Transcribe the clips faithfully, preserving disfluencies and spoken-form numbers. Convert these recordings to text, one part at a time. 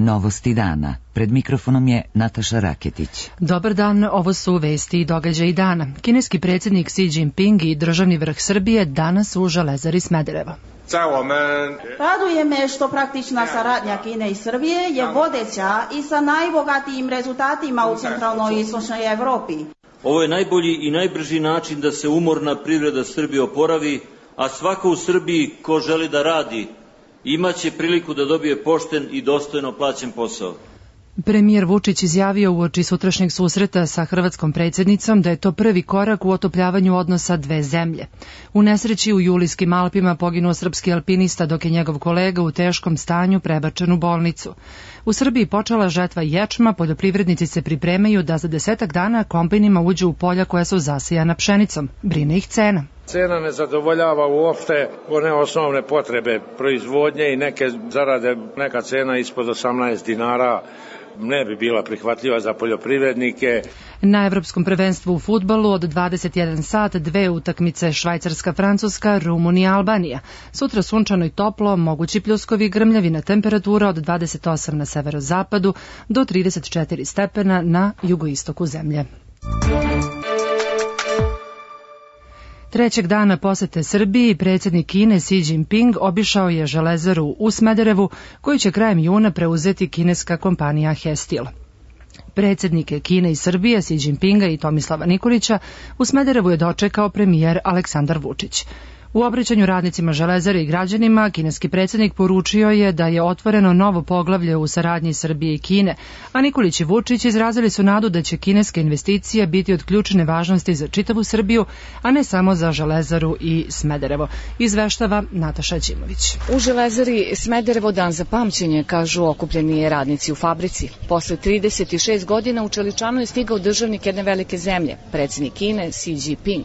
Novosti dana. Pred mikrofonom je Nataša Raketić. Dobar dan, ovo su vesti i događaji dana. Kineski predsjednik Xi Jinping i državni vrh Srbije danas u Železari Smederevo. Raduje me što praktična saradnja Kine i Srbije je vodeća i sa najbogatijim rezultatima u centralnoj i istočnoj Evropi. Ovo je najbolji i najbrži način da se umorna privreda Srbije oporavi, a svako u Srbiji ko želi da radi imaće priliku da dobije pošten i dostojno plaćen posao. Premijer Vučić izjavio uoči sutrašnjeg susreta sa hrvatskom predsjednicom da je to prvi korak u otopljavanju odnosa dve zemlje. U nesreći u Julijskim Alpima poginuo srpski alpinista dok je njegov kolega u teškom stanju prebačen u bolnicu. U Srbiji počela žetva ječma, poljoprivrednici se pripremaju da za desetak dana kombajnima uđu u polja koja su zasijana pšenicom. Brine ih cena. Cena ne zadovoljava uopšte one osnovne potrebe proizvodnje i neke zarade, neka cena ispod osamnaest dinara ne bi bila prihvatljiva za poljoprivrednike. Na Evropskom prvenstvu u fudbalu od dvadeset jedan sat dve utakmice Švajcarska-Francuska, Rumunija-Albanija. Sutra sunčano i toplo, mogući pljuskovi, grmljavina, temperatura od dvadeset osam na severozapadu do trideset četiri stepena na jugoistoku zemlje. Trećeg dana posete Srbiji predsjednik Kine Xi Jinping obišao je Železaru u Smederevu, koju će krajem juna preuzeti kineska kompanija Hestil. Predsjednike Kine i Srbije, Xi Jinpinga i Tomislava Nikolića, u Smederevu je dočekao premijer Aleksandar Vučić. U obraćanju radnicima Železare i građanima, kineski predsjednik poručio je da je otvoreno novo poglavlje u saradnji Srbije i Kine, a Nikolić i Vučić izrazili su nadu da će kineske investicije biti od ključne važnosti za čitavu Srbiju, a ne samo za Železaru i Smederevo. Izveštava Nataša Đimović. U Železari Smederevo dan za pamćenje, kažu okupljeni radnici u fabrici. Posle trideset šest godina u Čeličanu je stigao državnik jedne velike zemlje, predsjednik Kine Xi Jinping.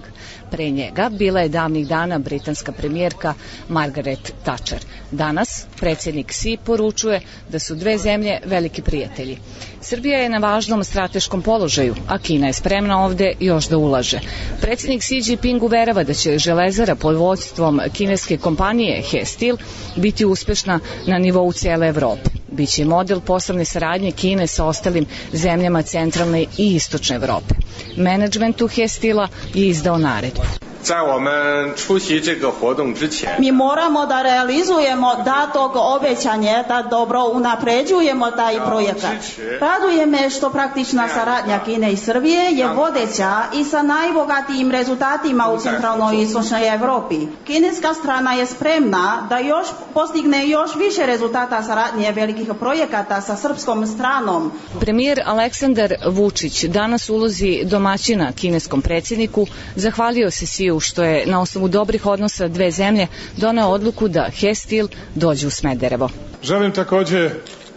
Pre njega bila je davnih dana britanska premijerka Margaret Thatcher. Danas predsjednik Xi poručuje da su dve zemlje veliki prijatelji. Srbija je na važnom strateškom položaju, a Kina je spremna ovde još da ulaže. Predsjednik Xi Jinping uverava da će Železara pod vodstvom kineske kompanije Hestil biti uspešna na nivou cijele Evrope. Biće model poslovne saradnje Kine sa ostalim zemljama centralne i istočne Evrope. Menadžmentu Hestila je izdao naredbu. Mi moramo da realizujemo datog obećanje, da dobro unapređujemo taj projekat. Raduje me što praktična saradnja Kine i Srbije je vodeća i sa najbogatijim rezultatima u centralnoj i istočnoj Evropi. Kineska strana je spremna da još postigne još više rezultata saradnje velikih projekata sa srpskom stranom. Premijer Aleksandar Vučić danas u ulozi domaćina kineskom predsjedniku zahvalio se Xiju što je na osnovu dobrih odnosa dve zemlje doneo odluku da Hestil dođe u Smederevo. Želim takođe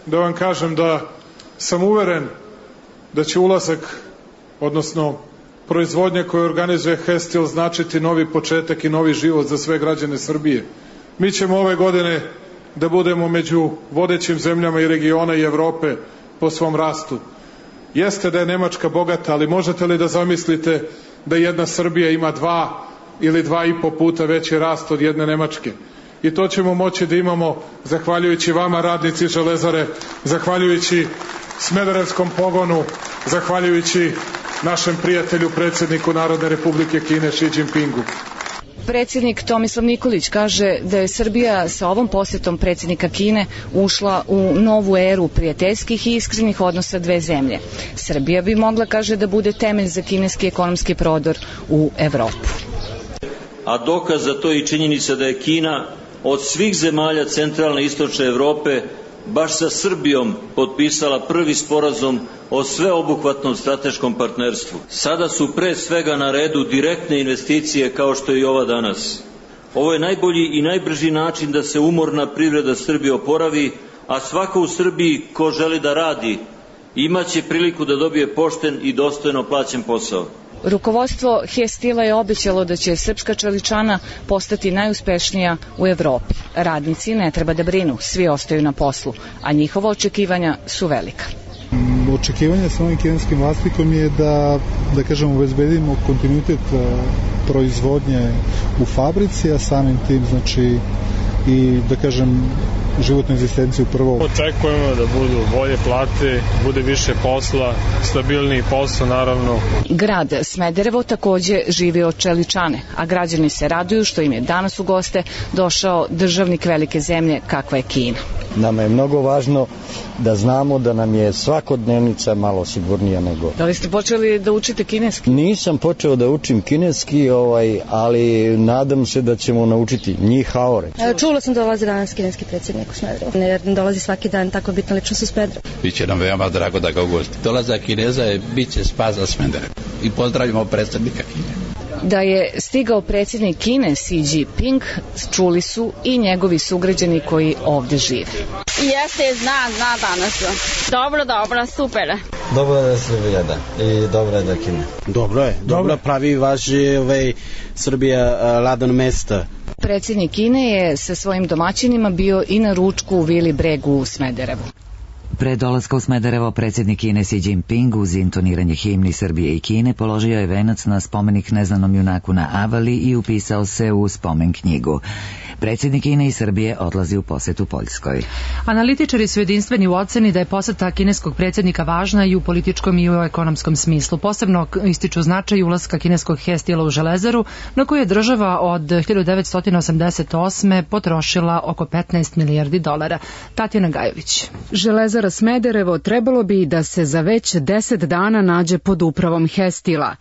da vam kažem da sam uveren da će ulazak, odnosno proizvodnja koju organizuje Hestil, značiti novi početak i novi život za sve građane Srbije. Mi ćemo ove godine da budemo među vodećim zemljama i regiona i Evrope po svom rastu. Jeste da je Nemačka bogata, ali možete li da zamislite da jedna Srbija ima dva ili dva i po puta veći rast od jedne Nemačke? I to ćemo moći da imamo zahvaljujući vama, radnici Železare, zahvaljujući Smederevskom pogonu, zahvaljujući našem prijatelju, predsjedniku Narodne Republike Kine Xi Jinpingu. Predsjednik Tomislav Nikolić kaže da je Srbija sa ovom posjetom predsjednika Kine ušla u novu eru prijateljskih i iskrenih odnosa dve zemlje. Srbija bi mogla, kaže, da bude temelj za kineski ekonomski prodor u Evropu. A dokaz za to je i činjenica da je Kina od svih zemalja centralne i istočne Evrope baš sa Srbijom potpisala prvi sporazum o sveobuhvatnom strateškom partnerstvu. Sada su pre svega na redu direktne investicije kao što je i ova danas. Ovo je najbolji i najbrži način da se umorna privreda Srbije oporavi, a svako u Srbiji ko želi da radi imaće priliku da dobije pošten i dostojno plaćen posao. Rukovodstvo Hestila je obećalo da će srpska čeličana postati najuspešnija u Evropi. Radnici ne treba da brinu, svi ostaju na poslu, a njihova očekivanja su velika. Očekivanja sa ovim kineskim vlasnikom je da, da kažem, obezbedimo kontinuitet proizvodnje u fabrici, a samim tim, znači, i da kažem, životnu egzistenciju prvo. Očekujemo da budu bolje plate, bude više posla, stabilniji posao naravno. Grad Smederevo takođe živi od čeličane, a građani se raduju što im je danas u goste došao državnik velike zemlje kakva je Kina. Nama je mnogo važno da znamo da nam je svakodnevnica malo sigurnija nego... Da li ste počeli da učite kineski? Nisam počeo da učim kineski, ovaj, ali nadam se da ćemo naučiti njih haore. Čula sam da dolazi danas kineski predsjednik u Smederevo. Ne dolazi svaki dan tako bitna ličnost u Smederevo. Biće nam veoma drago da ga ugosti. Dolazak Kineza je biće spas za Smederevo. I pozdravljamo predsjednika Kine. Da je stigao predsjednik Kine Xi Jinping, čuli su i njegovi sugrađani koji ovde žive. Jeste, zna, zna danas. Dobro, dobro, super. Dobro da Srbija, da. I dobro je da Kina. Dobro je, dobro pravi vaš ovaj, Srbija ladan mesta. Predsjednik Kine je sa svojim domaćinima bio i na ručku u Vili Bregu u Smederevu. Pre dolaska u Smederevo predsjednik Kine Xi Jinping uz intoniranje himni Srbije i Kine položio je venac na spomenik neznanom junaku na Avali i upisao se u spomen knjigu. Predsjednik Kine i Srbije odlazi u posetu Poljskoj. Analitičari su jedinstveni u oceni da je poseta kineskog predsjednika važna i u političkom i u ekonomskom smislu. Posebno ističu značaj ulaska kineskog Hestila u železaru, na koju je država od hiljadu devetsto osamdeset osme potrošila oko petnaest milijardi dolara. Tatjana Gajović. Železara Smederevo trebalo bi da se za već deset dana nađe pod upravom Hestila.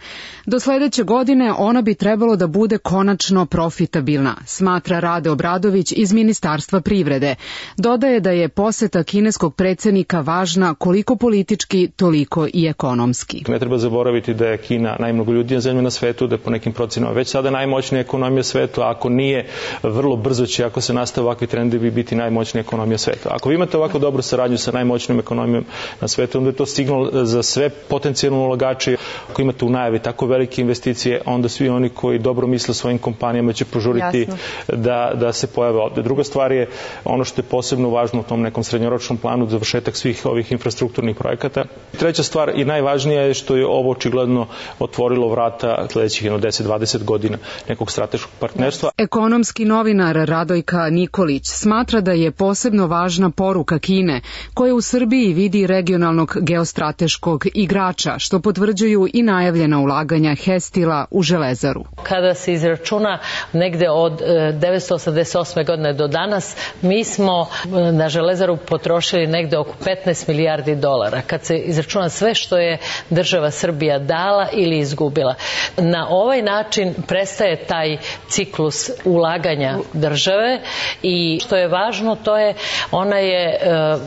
Do sledeće godine ona bi trebalo da bude konačno profitabilna, smatra Rade Obradović iz Ministarstva privrede. Dodaje da je poseta kineskog predsjednika važna koliko politički, toliko i ekonomski. Ne treba zaboraviti da je Kina najmnogoljudnija zemlja na svetu, da je po nekim procenama već sada najmoćnija ekonomija sveta, a ako nije, vrlo brzo će, ako se nastave ovakvi trendovi, biti najmoćnija ekonomija sveta. Ako vi imate ovako dobru saradnju sa najmoćnijom ekonomijom na svetu, onda je to signal za sve potencijalne ulagače. Ako imate u najavi tako velike investicije, onda svi oni koji dobro misle svojim kompanijama će požuriti da, da se pojave ovde. Druga stvar je ono što je posebno važno u tom nekom srednjoročnom planu, završetak svih ovih infrastrukturnih projekata. Treća stvar i najvažnija je što je ovo očigledno otvorilo vrata sledećih deset do dvadeset godina nekog strateškog partnerstva. Ekonomski novinar Radojka Nikolić smatra da je posebno važna poruka Kine, koja u Srbiji vidi regionalnog geostrateškog igrača, što potvrđuju i najavljena ulaganja Hestila u železaru. Kada se izračuna negde od devetsto osamdeset osme godine do danas, mi smo na železaru potrošili negde oko petnaest milijardi dolara. Kad se izračuna sve što je država Srbija dala ili izgubila. Na ovaj način prestaje taj ciklus ulaganja države i što je važno, to je, ona je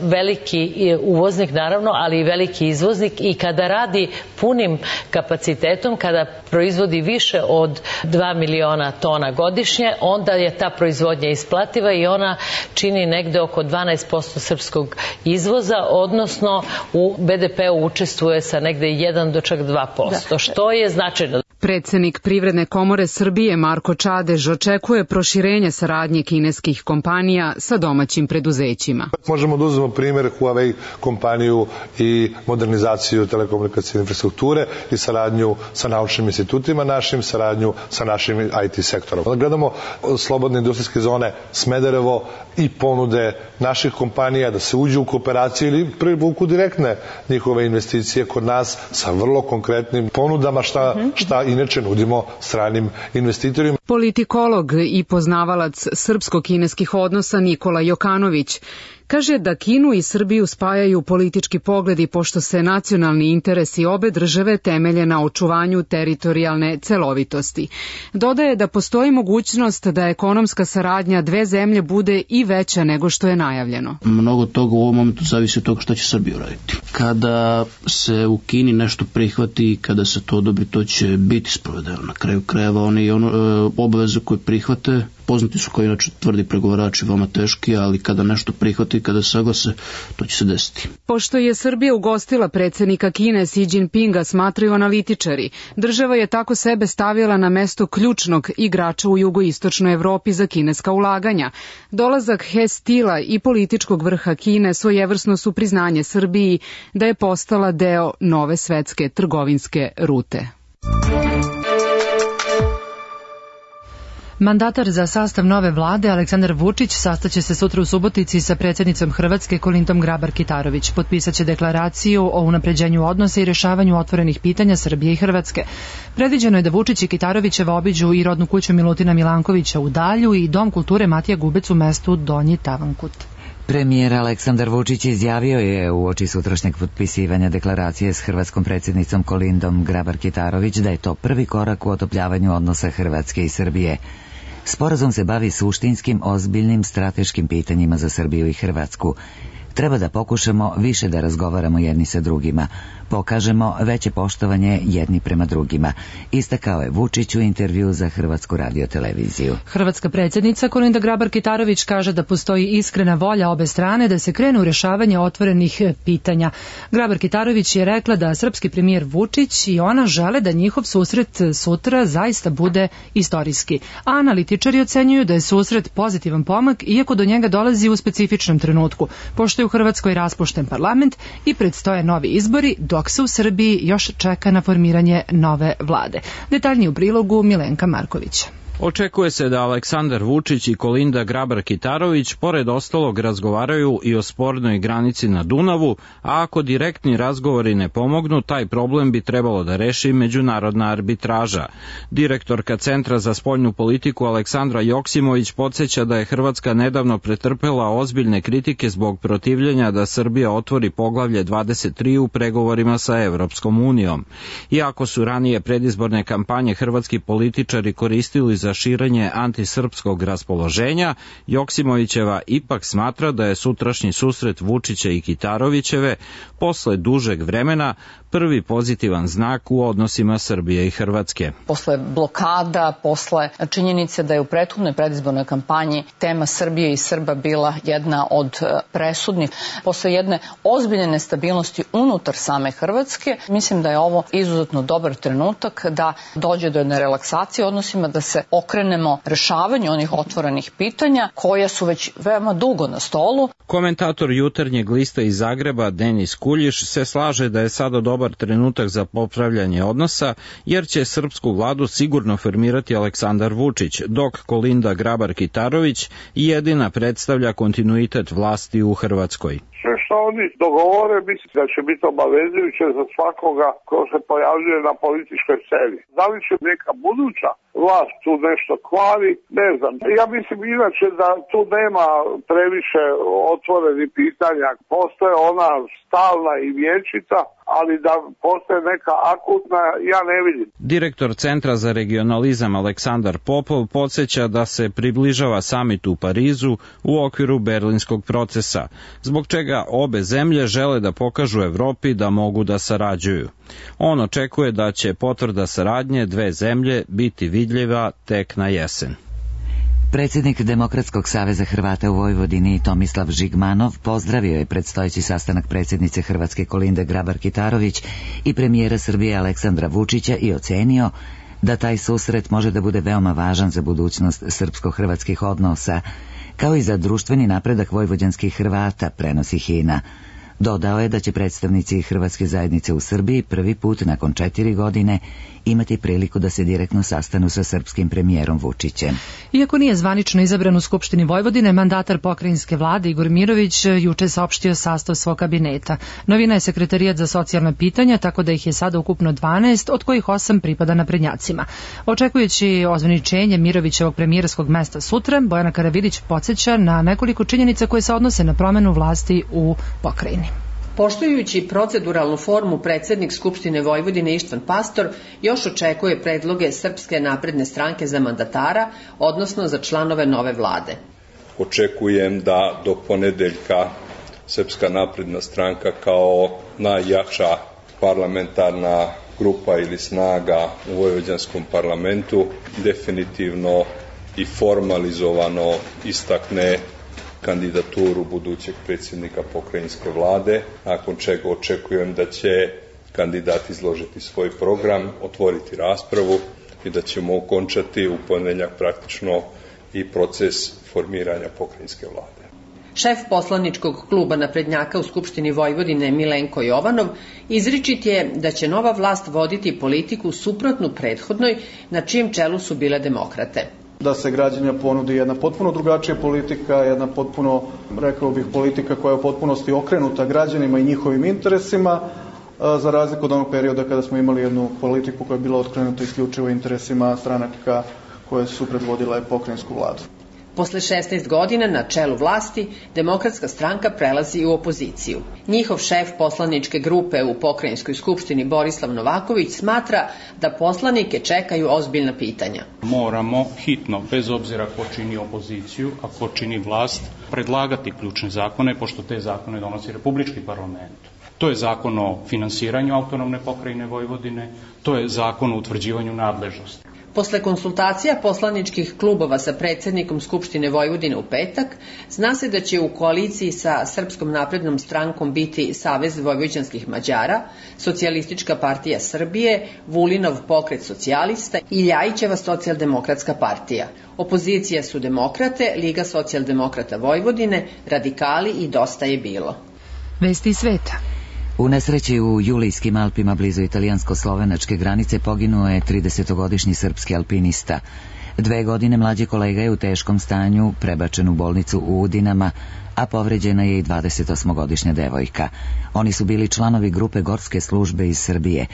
veliki uvoznik naravno, ali i veliki izvoznik i kada radi punim kapacitetom, kada proizvodi više od dva miliona tona godišnje, onda je ta proizvodnja isplativa i ona čini negde oko dvanaest posto srpskog izvoza, odnosno u be de pe-u učestvuje sa negde jedan do čak dva posto, što je značajno. Predsednik Privredne komore Srbije Marko Čadež očekuje proširenje saradnje kineskih kompanija sa domaćim preduzećima. Možemo da uzmemo primjer Huawei kompaniju i modernizaciju telekomunikacijne infrastrukture i saradnju sa naučnim institutima našim, saradnju sa našim i te sektorom. Gledamo slobodne industrijske zone Smederevo i ponude naših kompanija da se uđu u kooperaciju ili privuku direktne njihove investicije kod nas sa vrlo konkretnim ponudama šta, šta inače nudimo stranim investitorima. Politikolog i poznavalac srpsko-kineskih odnosa Nikola Jokanović kaže da Kinu i Srbiju spajaju politički pogledi pošto se nacionalni interesi obe države temelje na očuvanju teritorijalne celovitosti. Dodaje da postoji mogućnost da ekonomska saradnja dve zemlje bude i veća nego što je najavljeno. Mnogo toga u ovom momentu zavisi od toga što će Srbija uraditi. Kada se u Kini nešto prihvati i kada se to odobri, to će biti sprovedeno. Na kraju krajeva oni i ono, e, obaveze koje prihvate, poznati su kao inače tvrdi pregovarači, veoma teški, ali kada nešto prihvati i kada se saglase, to će se desiti. Pošto je Srbija ugostila predsjednika Kine Xi Jinpinga, smatraju analitičari, država je tako sebe stavila na mesto ključnog igrača u jugoistočnoj Evropi za kineska ulaganja. Dolazak Hestila i političkog vrha Kine svojevrsno su priznanje Srbiji da je postala deo nove svetske trgovinske rute. Mandatar za sastav nove vlade Aleksandar Vučić sastaće se sutra u Subotici sa predsjednicom Hrvatske Kolindom Grabar-Kitarović. Potpisaće deklaraciju o unapređenju odnosa i rješavanju otvorenih pitanja Srbije i Hrvatske. Predviđeno je da Vučić i Kitarovićeva obiđu i rodnu kuću Milutina Milankovića u Dalju i Dom kulture Matija Gubec u mestu Donji Tavankut. Premijer Aleksandar Vučić izjavio je uoči sutrašnjeg potpisivanja deklaracije s hrvatskom predsjednicom Kolindom Grabar-Kitarović da je to prvi korak u otopljavanju odnosa Hrvatske i Srbije. Sporazum se bavi suštinskim, ozbiljnim, strateškim pitanjima za Srbiju i Hrvatsku. Treba da pokušamo više da razgovaramo jedni sa drugima, pokažemo veće poštovanje jedni prema drugima, istakao je Vučić u intervju za Hrvatsku radioteleviziju. Hrvatska predsjednica Kolinda Grabar-Kitarović kaže da postoji iskrena volja obe strane da se krenu u rješavanje otvorenih pitanja. Grabar-Kitarović je rekla da srpski premijer Vučić i ona žele da njihov susret sutra zaista bude istorijski. A analitičari ocenjuju da je susret pozitivan pomak, iako do njega dolazi u specifičnom trenutku, pošto je u Hrvatskoj raspušten parlament i predstoje novi izbori, dok se u Srbiji još čeka na formiranje nove vlade. Detaljnije u prilogu Milenka Markovića. Očekuje se da Aleksandar Vučić i Kolinda Grabar-Kitarović pored ostalog razgovaraju i o spornoj granici na Dunavu, a ako direktni razgovori ne pomognu, taj problem bi trebalo da reši međunarodna arbitraža. Direktorka Centra za spoljnu politiku Aleksandra Joksimović podsjeća da je Hrvatska nedavno pretrpela ozbiljne kritike zbog protivljenja da Srbija otvori poglavlje dvadeset tri u pregovorima sa Evropskom unijom. Iako su ranije predizborne kampanje hrvatski političari koristili za širenje antisrpskog raspoloženja, Joksimovićeva ipak smatra da je sutrašnji susret Vučića i Kitarovićeve posle dužeg vremena prvi pozitivan znak u odnosima Srbije i Hrvatske. Posle blokada, posle činjenice da je u prethodnoj predizbornoj kampanji tema Srbije i Srba bila jedna od presudnih, posle jedne ozbiljne nestabilnosti unutar same Hrvatske, mislim da je ovo izuzetno dobar trenutak da dođe do jedne relaksacije odnosima, da se okrenemo rešavanju onih otvorenih pitanja koja su već veoma dugo na stolu. Komentator Jutarnjeg lista iz Zagreba Denis Kuljiš se slaže da je sada dobar trenutak za popravljanje odnosa, jer će srpsku vladu sigurno formirati Aleksandar Vučić, dok Kolinda Grabar-Kitarović jedina predstavlja kontinuitet vlasti u Hrvatskoj. Sve što oni dogovore, mislim da će biti obavezujuće za svakoga ko se pojavljuje na političkoj sceni. Da li će neka buduća vlast tu nešto kvari, ne znam. Ja mislim inače da tu nema previše otvorenih pitanja. Postoje ona stalna i vječita, ali da postoje neka akutna, ja ne vidim. Direktor Centra za regionalizam Aleksandar Popov podsjeća da se približava samit u Parizu u okviru berlinskog procesa, zbog čega obe zemlje žele da pokažu Evropi da mogu da sarađuju. On očekuje da će potvrda saradnje dve zemlje biti vidljiva tek na jesen. Predsjednik Demokratskog saveza Hrvata u Vojvodini Tomislav Žigmanov pozdravio je predstojeći sastanak predsjednice Hrvatske Kolinde Grabar-Kitarović i premijera Srbije Aleksandra Vučića i ocenio da taj susret može da bude veoma važan za budućnost srpsko-hrvatskih odnosa, kao i za društveni napredak vojvođanskih Hrvata, prenosi Hina. Dodao je da će predstavnici Hrvatske zajednice u Srbiji prvi put nakon četiri godine imati priliku da se direktno sastanu sa srpskim premijerom Vučićem. Iako nije zvanično izabran u Skupštini Vojvodine, mandatar pokrajinske vlade Igor Mirović juče saopštio sastav svog kabineta. Novina je sekretarijat za socijalna pitanja, tako da ih je sada ukupno dvanaest, od kojih osam pripada naprednjacima. Očekujući ozvaničenje Mirovićevog premijerskog mesta sutra, Bojana Karavidić podsjeća na nekoliko činjenica koje se odnose na promenu vlasti u pokrajini. Poštujući proceduralnu formu, predsjednik Skupštine Vojvodine Ištvan Pastor još očekuje predloge Srpske napredne stranke za mandatara, odnosno za članove nove vlade. Očekujem da do ponedeljka Srpska napredna stranka kao najjača parlamentarna grupa ili snaga u vojvođanskom parlamentu definitivno i formalizovano istakne kandidaturu budućeg predsjednika pokrajinske vlade, nakon čega očekujem da će kandidat izložiti svoj program, otvoriti raspravu i da ćemo ukončati u ponedeljak praktično i proces formiranja pokrajinske vlade. Šef poslaničkog kluba naprednjaka u Skupštini Vojvodine Milenko Jovanov izričit je da će nova vlast voditi politiku suprotnu prethodnoj, na čijem čelu su bile demokrate. da se građanima ponudi jedna potpuno drugačija politika, jedna potpuno, rekao bih, politika koja je u potpunosti okrenuta građanima i njihovim interesima, za razliku od onog perioda kada smo imali jednu politiku koja je bila okrenuta isključivo interesima stranaka koje su predvodile pokrajinsku vladu. Posle šesnaest godina na čelu vlasti, Demokratska stranka prelazi u opoziciju. Njihov šef poslaničke grupe u pokrajinskoj skupštini Borislav Novaković smatra da poslanike čekaju ozbiljna pitanja. Moramo hitno, bez obzira ko čini opoziciju, a ko čini vlast, predlagati ključne zakone, pošto te zakone donosi Republički parlament. To je zakon o finansiranju autonomne pokrajine Vojvodine, to je zakon o utvrđivanju nadležnosti. Posle konsultacija poslaničkih klubova sa predsednikom Skupštine Vojvodine u petak, zna se da će u koaliciji sa Srpskom naprednom strankom biti Savez vojvođanskih Mađara, Socijalistička partija Srbije, Vulinov pokret socijalista i Ljajićeva socijaldemokratska partija. Opozicija su Demokrate, Liga socijaldemokrata Vojvodine, Radikali i Dosta je bilo. Vesti sveta. U nesreći u Julijskim Alpima blizu italijansko-slovenačke granice poginuo je tridesetogodišnji srpski alpinista. Dve godine mlađi kolega je u teškom stanju prebačen u bolnicu u Udinama, a povređena je i dvadesetosmogodišnja devojka. Oni su bili članovi grupe gorske službe iz Srbije.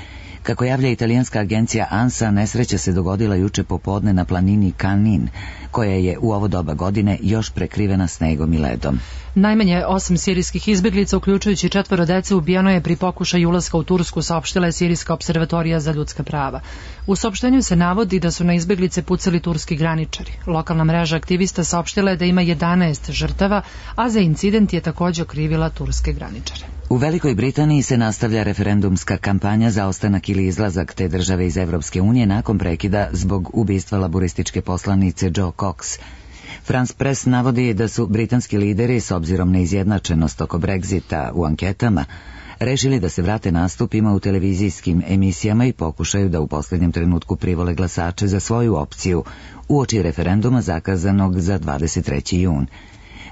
Kako javlja italijanska agencija ANSA, nesreća se dogodila juče popodne na planini Kanin, koja je u ovo doba godine još prekrivena snegom i ledom. Najmanje osam sirijskih izbeglica, uključujući četvoro dece, ubijeno je pri pokušaju ulaska u Tursku, saopštila je Sirijska observatorija za ljudska prava. U saopštenju se navodi da su na izbeglice pucali turski graničari. Lokalna mreža aktivista saopštila je da ima jedanaest žrtava, a za incident je također okrivila turske graničare. U Velikoj Britaniji se nastavlja referendumska kampanja za ostanak ili izlazak te države iz Evropske unije nakon prekida zbog ubistva laburističke poslanice Jo Cox. France Press navodi da su britanski lideri, s obzirom na izjednačenost oko Brexita u anketama, rešili da se vrate nastupima u televizijskim emisijama i pokušaju da u posljednjem trenutku privole glasače za svoju opciju uoči referenduma zakazanog za dvadeset treći jun.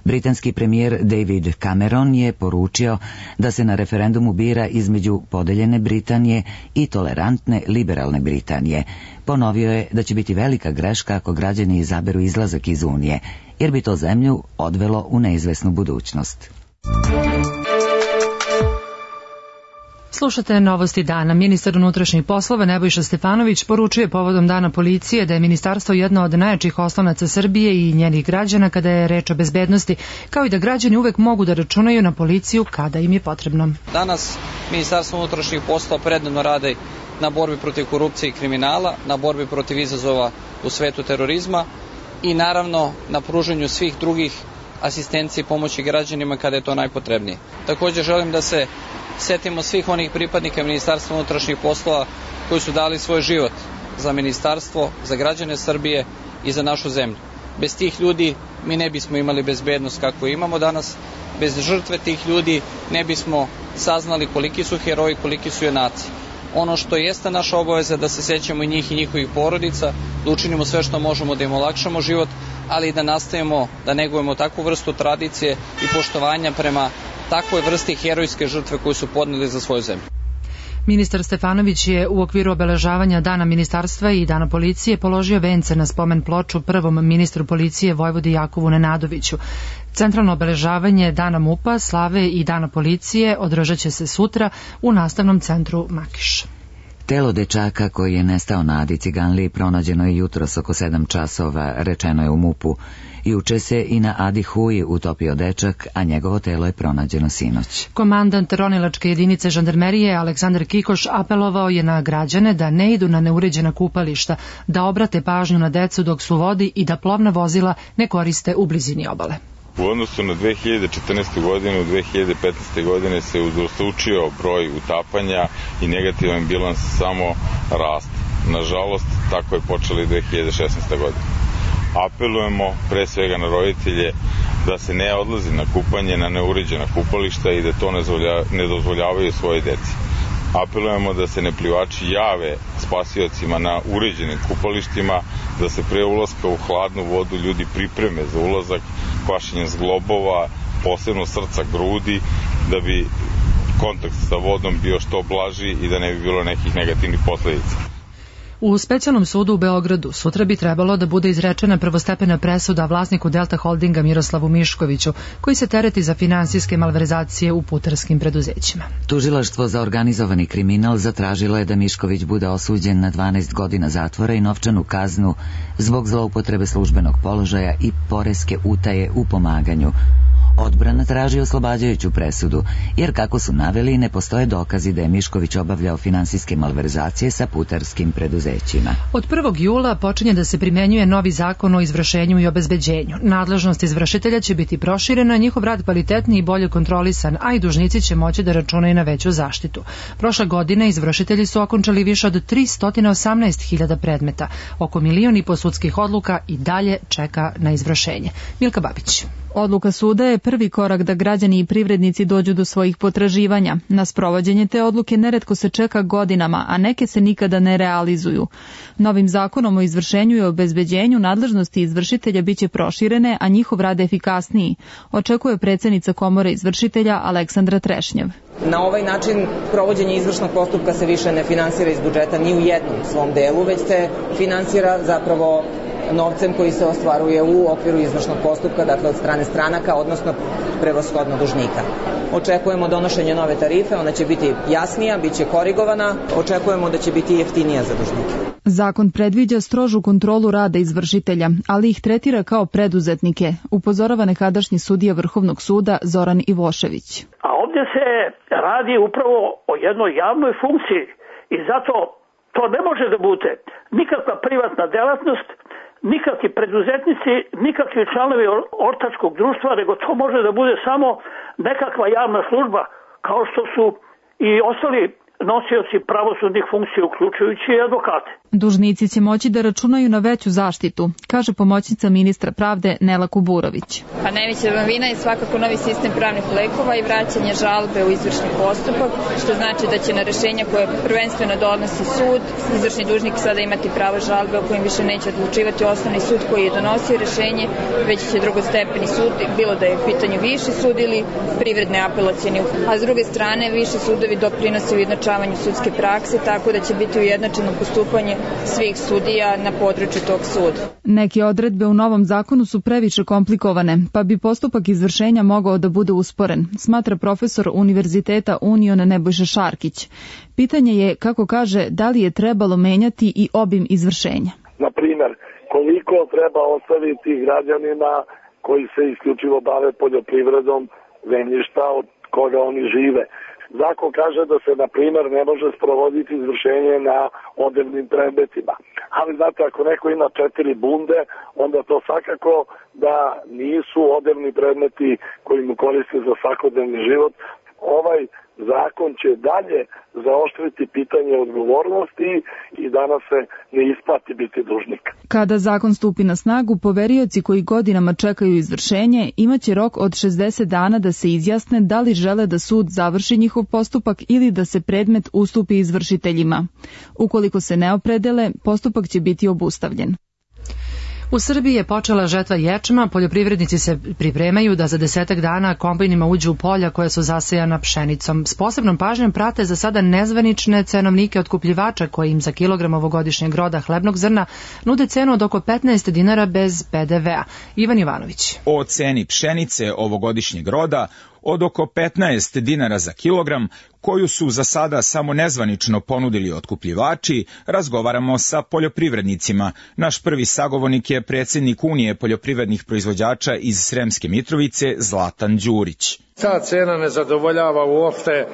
Britanski premijer David Cameron je poručio da se na referendumu bira između podeljene Britanije i tolerantne liberalne Britanije. Ponovio je da će biti velika greška ako građani izaberu izlazak iz Unije, jer bi to zemlju odvelo u neizvesnu budućnost. Slušate novosti dana. Ministar unutrašnjih poslova Nebojša Stefanović poručuje povodom Dana policije da je ministarstvo jedno od najjačih oslonaca Srbije i njenih građana kada je reč o bezbednosti, kao i da građani uvek mogu da računaju na policiju kada im je potrebno. Danas Ministarstvo unutrašnjih poslova predano radi na borbi protiv korupcije i kriminala, na borbi protiv izazova u svetu terorizma i naravno na pružanju svih drugih asistencije i pomoći građanima kada je to najpotrebnije. Također želim da se setimo svih onih pripadnika Ministarstva unutrašnjih poslova koji su dali svoj život za ministarstvo, za građane Srbije i za našu zemlju. Bez tih ljudi mi ne bismo imali bezbednost kakvu imamo danas, bez žrtve tih ljudi ne bismo saznali koliki su heroji, koliki su junaci. Ono što jeste naša obaveza da se sećamo i njih i njihovih porodica, da učinimo sve što možemo da im olakšamo život, ali i da nastavimo da negujemo takvu vrstu tradicije i poštovanja prema takvoj vrsti herojske žrtve koju su podneli za svoju zemlju. Ministar Stefanović je u okviru obeležavanja Dana ministarstva i Dana policije položio vence na spomen ploču prvom ministru policije Vojvodi Jakovu Nenadoviću. Centralno obeležavanje Dana MUP-a, Slave i Dana policije održat će se sutra u nastavnom centru Makiš. Telo dečaka koji je nestao na Adi Ciganliji pronađeno je jutros oko sedam časova, rečeno je u MUP-u. Juče se i na Adi Huji utopio dečak, a njegovo telo je pronađeno sinoć. Komandant ronilačke jedinice žandarmerije Aleksandar Kikoš apelovao je na građane da ne idu na neuređena kupališta, da obrate pažnju na decu dok su u vodi i da plovna vozila ne koriste u blizini obale. U odnosu na dve hiljade četrnaeste. godine, u dve hiljade petnaeste. godine se udvostručio broj utapanja i negativan bilans samo raste. Nažalost, tako je počela i dve hiljade šesnaeste. godine. Apelujemo pre svega na roditelje da se ne odlazi na kupanje na neuređena kupališta i da to ne dozvoljavaju svoje deci. Apelujemo da se neplivači jave spasiocima na uređenim kupalištima, da se pre ulaska u hladnu vodu ljudi pripreme za ulazak kvašenjem zglobova, posebno srca, grudi, da bi kontakt sa vodom bio što blaži i da ne bi bilo nekih negativnih posledica. U specijalnom sudu u Beogradu sutra bi trebalo da bude izrečena prvostepena presuda vlasniku Delta Holdinga Miroslavu Miškoviću, koji se tereti za finansijske malverzacije u putarskim preduzećima. Tužilaštvo za organizovani kriminal zatražilo je da Mišković bude osuđen na dvanaest godina zatvora i novčanu kaznu zbog zloupotrebe službenog položaja i poreske utaje u pomaganju. Odbrana traži oslobađajuću presudu, jer kako su naveli, ne postoje dokazi da je Mišković obavljao finansijske malverzacije sa putarskim preduzećima. Od prvog jula počinje da se primenjuje novi zakon o izvršenju i obezbeđenju. Nadležnost izvršitelja će biti proširena, njihov rad kvalitetniji i bolje kontrolisan, a i dužnici će moći da računaju na veću zaštitu. Prošle godine izvršitelji su okončali više od tristo osamnaest hiljada predmeta. Oko milion i po sudskih odluka i dalje čeka na izvršenje. Milka Babić. Odluka suda je prvi korak da građani i privrednici dođu do svojih potraživanja. Na sprovođenje te odluke neretko se čeka godinama, a neke se nikada ne realizuju. Novim zakonom o izvršenju i obezbeđenju nadležnosti izvršitelja biće proširene, a njihov rad efikasniji, očekuje predsjednica Komore izvršitelja Aleksandra Trešnjev. Na ovaj način provođenje izvršnog postupka se više ne finansira iz budžeta ni u jednom svom delu, već se finansira zapravo novcem koji se ostvaruje u okviru izvršnog postupka, dakle od strane stranaka, odnosno prevashodno dužnika. Očekujemo donošenje nove tarife, ona će biti jasnija, bit će korigovana, očekujemo da će biti jeftinija za dužnike. Zakon predviđa strožu kontrolu rada izvršitelja, ali ih tretira kao preduzetnike, upozorava nekadašnji sudija Vrhovnog suda Zoran Ivošević. A ovdje se radi upravo o jednoj javnoj funkciji i zato to ne može da bude nikakva privatna delatnost, nikakvi preduzetnici, nikakvi članovi ortačkog društva, nego to može da bude samo nekakva javna služba, kao što su i ostali nosioci pravosudnih funkcija, uključujući i advokate. Dužnici će moći da računaju na veću zaštitu, kaže pomoćnica ministra pravde Nela Kuburović. Pa najveća novina je svakako novi sistem pravnih lekova i vraćanje žalbe u izvršni postupak, što znači da će na rešenja koje prvenstveno donosi sud, izvršni dužnik sada imati pravo žalbe o kojim više neće odlučivati osnovni sud koji je donosio rešenje, već će drugostepeni sud, bilo da je u pitanju viši sud ili privredne apelacijeni. A s druge strane, viši sudovi doprinose ujednačavanju sudske prakse, tako da će biti ujednačeno postupanje svih sudija na području tog suda. Neke odredbe u novom zakonu su previše komplikovane, pa bi postupak izvršenja mogao da bude usporen, smatra profesor Univerziteta Union Nebojša Šarkić. Pitanje je, kako kaže, da li je trebalo menjati i obim izvršenja. Na primjer, koliko treba ostaviti građanima koji se isključivo bave poljoprivredom zemljišta od koga oni žive. Zakon kaže da se, na primjer, ne može sprovoditi izvršenje na odevnim predmetima. Ali, znate, ako neko ima četiri bunde, onda to svakako da nisu odevni predmeti koji mu koriste za svakodnevni život. Ovaj zakon će dalje zaoštriti pitanje odgovornosti i danas se ne isplati biti dužnik. Kada zakon stupi na snagu, poverioci koji godinama čekaju izvršenje imaće rok od šezdeset dana da se izjasne da li žele da sud završi njihov postupak ili da se predmet ustupi izvršiteljima. Ukoliko se ne opredele, postupak će biti obustavljen. U Srbiji je počela žetva ječma, poljoprivrednici se pripremaju da za desetak dana kombajnima uđu u polja koja su zasejana pšenicom. S posebnom pažnjom prate za sada nezvanične cenovnike otkupljivača koji im za kilogram ovogodišnjeg roda hlebnog zrna nude cenu od oko petnaest dinara bez pe de vea. Ivan Jovanović. O ceni pšenice ovogodišnjeg roda od oko petnaest dinara za kilogram, koju su za sada samo nezvanično ponudili otkupljivači, razgovaramo sa poljoprivrednicima. Naš prvi sagovornik je predsjednik Unije poljoprivrednih proizvođača iz Sremske Mitrovice, Zlatan Đurić. Ta cena ne zadovoljava uopšte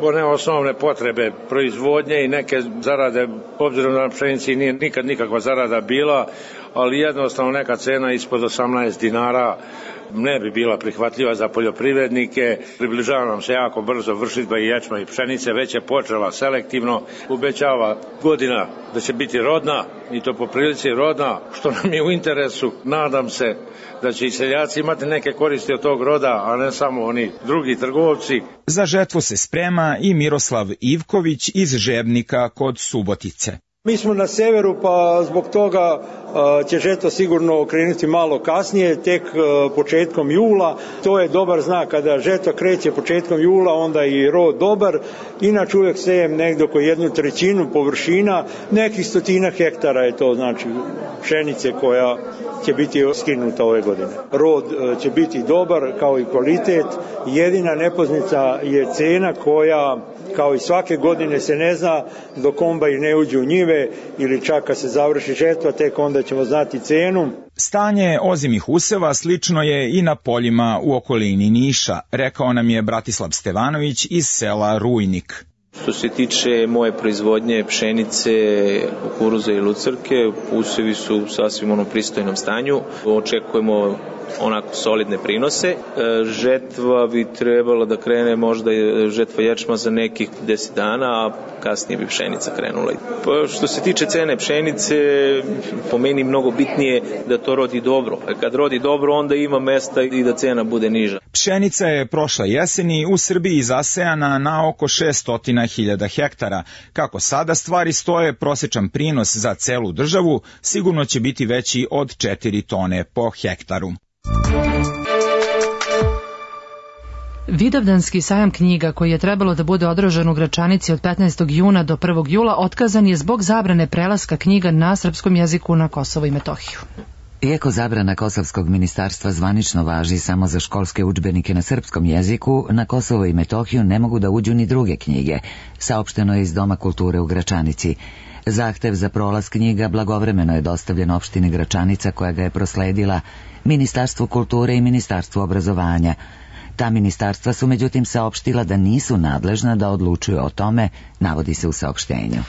one osnovne potrebe proizvodnje i neke zarade, obzirom da na pšenici nije nikad nikakva zarada bila, ali jednostavno neka cena ispod osamnaest dinara ne bi bila prihvatljiva za poljoprivrednike. Približava nam se jako brzo vršidba i ječma i pšenice, već je počela selektivno, obećava godina da će biti rodna i to po prilici rodna, što nam je u interesu. Nadam se da će i seljaci imati neke koristi od tog roda, a ne samo oni drugi trgovci. Za žetvu se sprema i Miroslav Ivković iz Žebnika kod Subotice. Mi smo na severu, pa zbog toga će žetva sigurno krenuti malo kasnije, tek početkom jula. To je dobar znak, kada žetva kreće početkom jula, onda je i rod dobar. Inače uvijek sejem negdje oko jednu trećinu površina, nekih stotina hektara je to, znači pšenice koja će biti skinuta ove godine. Rod će biti dobar kao i kvalitet. Jedina nepoznanica je cena koja, kao i svake godine, se ne zna dok kombajn ne uđe u njive ili čak kad se završi žetva, tek onda ćemo znati cenu. Stanje ozimih useva slično je i na poljima u okolini Niša, rekao nam je Bratislav Stevanović iz sela Rujnik. Što se tiče moje proizvodnje pšenice, kukuruza i lucrke, usevi su sasvim u onom pristojnom stanju. Očekujemo onako solidne prinose. Žetva bi trebala da krene, možda je žetva ječma za nekih deset dana, a kasnije bi pšenica krenula. Pa što se tiče cene pšenice, po meni mnogo bitnije da to rodi dobro. A kad rodi dobro, onda ima mesta i da cena bude niža. Pšenica je prošle jeseni u Srbiji zasejana na oko šessto hiljada hektara. Kako sada stvari stoje, prosječan prinos za celu državu sigurno će biti veći od četiri tone po hektaru. Vidovdanski sajam knjiga koji je trebalo da bude održan u Gračanici od petnaestog juna do prvog jula otkazan je zbog zabrane prelaska knjiga na srpskom jeziku na Kosovo i Metohiju. Iako zabrana Kosovskog ministarstva zvanično važi samo za školske udžbenike na srpskom jeziku, na Kosovo i Metohiju ne mogu da uđu ni druge knjige, saopšteno je iz Doma kulture u Gračanici. Zahtev za prolaz knjiga blagovremeno je dostavljen opštini Gračanica, koja ga je prosledila Ministarstvu kulture i Ministarstvu obrazovanja. Ta ministarstva su međutim saopštila da nisu nadležna da odlučuju o tome, navodi se u saopštenju.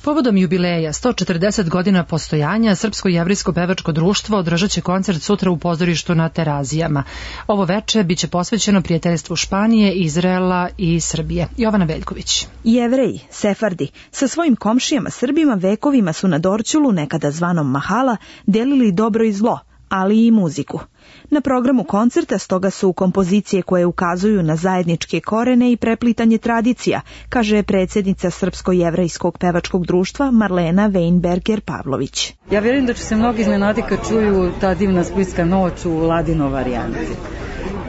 Povodom jubileja sto četrdeset godina postojanja, Srpsko-jevrijsko pevačko društvo održat će koncert sutra u pozorištu na Terazijama. Ovo veče biće posvećeno prijateljstvu Španije, Izraela i Srbije. Jovana Veljković. Jevreji, sefardi, sa svojim komšijama Srbima vekovima su na Dorćolu, nekada zvanom Mahala, delili dobro i zlo, ali i muziku. Na programu koncerta stoga su kompozicije koje ukazuju na zajedničke korene i preplitanje tradicija, kaže predsjednica Srpsko-jevrejskog pevačkog društva Marlena Weinberger-Pavlović. Ja vjerujem da će se mnogi iznenaditi kad čuju ta divna splitska noć u ladino varijanti.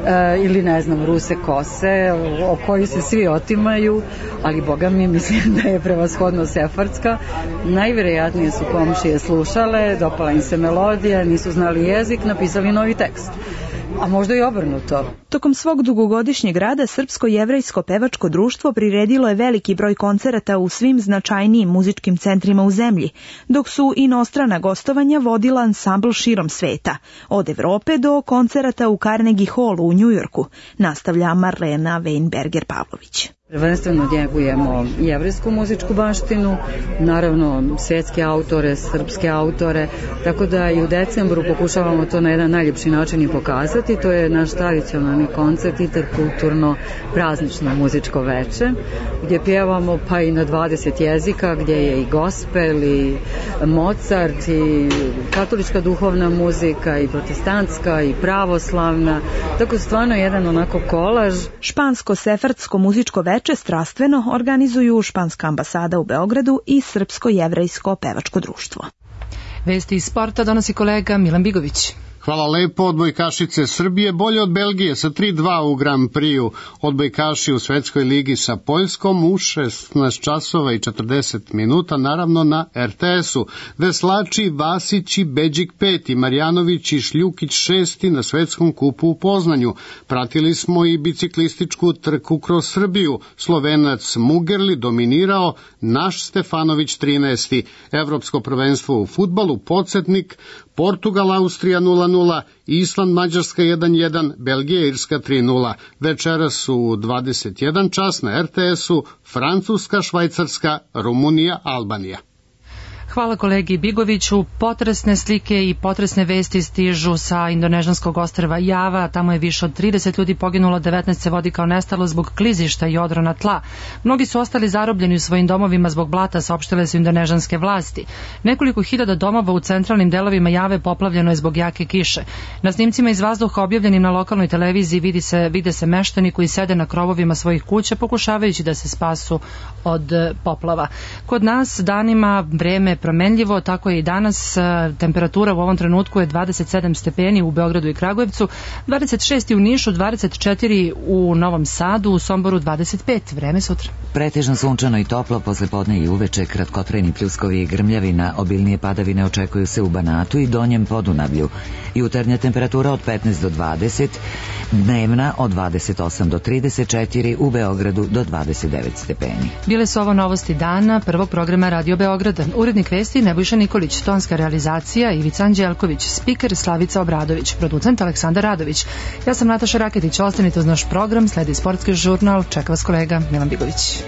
E, ili ne znam, Ruse kose o kojoj se svi otimaju, ali boga mi mislim da je prevashodno sefardska. Najvjerojatnije su komšije slušale, dopala im se melodija, nisu znali jezik, napisali novi tekst. A možda i obrnuto. Tokom svog dugogodišnjeg rada Srpsko-jevrejsko pevačko društvo priredilo je veliki broj koncerata u svim značajnijim muzičkim centrima u zemlji, dok su inostrana gostovanja vodila ansambl širom sveta, od Evrope do koncerata u Carnegie Hallu u Njujorku, nastavlja Marlena Weinberger-Pavlović. Prvenstveno njegujemo jevrejsku muzičku baštinu, naravno svjetske autore, srpske autore, tako da i u decembru pokušavamo to na jedan najljepši način i pokazati. To je naš tradicionalni koncert, interkulturno praznično muzičko veče, gdje pjevamo pa i na dvadeset jezika, gdje je i gospel, i Mozart, i katolička duhovna muzika, i protestantska, i pravoslavna, tako stvarno jedan onako kolaž. Špansko-sefardsko muzičko veče strastveno organizuju Španska ambasada u Beogradu i Srpsko-jevrejsko pevačko društvo. Vesti iz sporta donosi kolega Milan Bigović. Hvala lepo. Odbojkašice Srbije bolje od Belgije sa tri dva u Grand Prix-u. Odbojkaši u Svetskoj ligi sa Poljskom u šesnaest časova i četrdeset minuta, naravno na er te esu. Veslači Vasić i Beđik peti, Marjanović i Šljukić šesti na Svetskom kupu u Poznanju. Pratili smo i biciklističku trku kroz Srbiju. Slovenac Mugerli dominirao, naš Stefanović trinaesti. Evropsko prvenstvo u fudbalu, podsjetnik, Portugal, Austrija nula nula, Island, Mađarska jedan jedan, Belgija, Irska tri nula. Večeras u dvadeset jedan čas na er te esu Francuska, Švajcarska, Rumunija, Albanija. Hvala kolegi Bigoviću. Potresne slike i potresne vesti stižu sa indonežanskog ostrva Java. Tamo je više od trideset ljudi poginulo, devetnaest se vodi kao nestalo zbog klizišta i odrona tla. Mnogi su ostali zarobljeni u svojim domovima zbog blata, saopštile su indonežanske vlasti. Nekoliko hiljada domova u centralnim delovima Jave poplavljeno je zbog jake kiše. Na snimcima iz vazduha objavljenim na lokalnoj televiziji vidi se, vide se meštani koji sede na krovovima svojih kuća pokušavajući da se spasu od poplava. Kod nas danima vreme nepromenljivo, tako je i danas. Temperatura u ovom trenutku je dvadeset sedam stepeni u Beogradu i Kragujevcu, dvadeset šest u Nišu, dvadeset četiri u Novom Sadu, u Somboru dvadeset pet. Vreme sutra. Pretežno sunčano i toplo, posle podne i uveče, kratkotrajni pljuskovi i grmljavina, obilnije padavine očekuju se u Banatu i Donjem Podunavlju. Jutarnja temperatura od petnaest do dvadeset, dnevna od dvadeset osam do trideset četiri, u Beogradu do dvadeset devet stepeni. Bile su ovo novosti dana prvog programa Radio Beograda. Urednik vesti Nebojša Nikolić, tonska realizacija Ivica Anđelković, spiker Slavica Obradović, producent Aleksandar Radović. Ja sam Nataša Raketić, ostanite uz naš program, sledi sportski žurnal, čeka vas kolega Milan Bigović.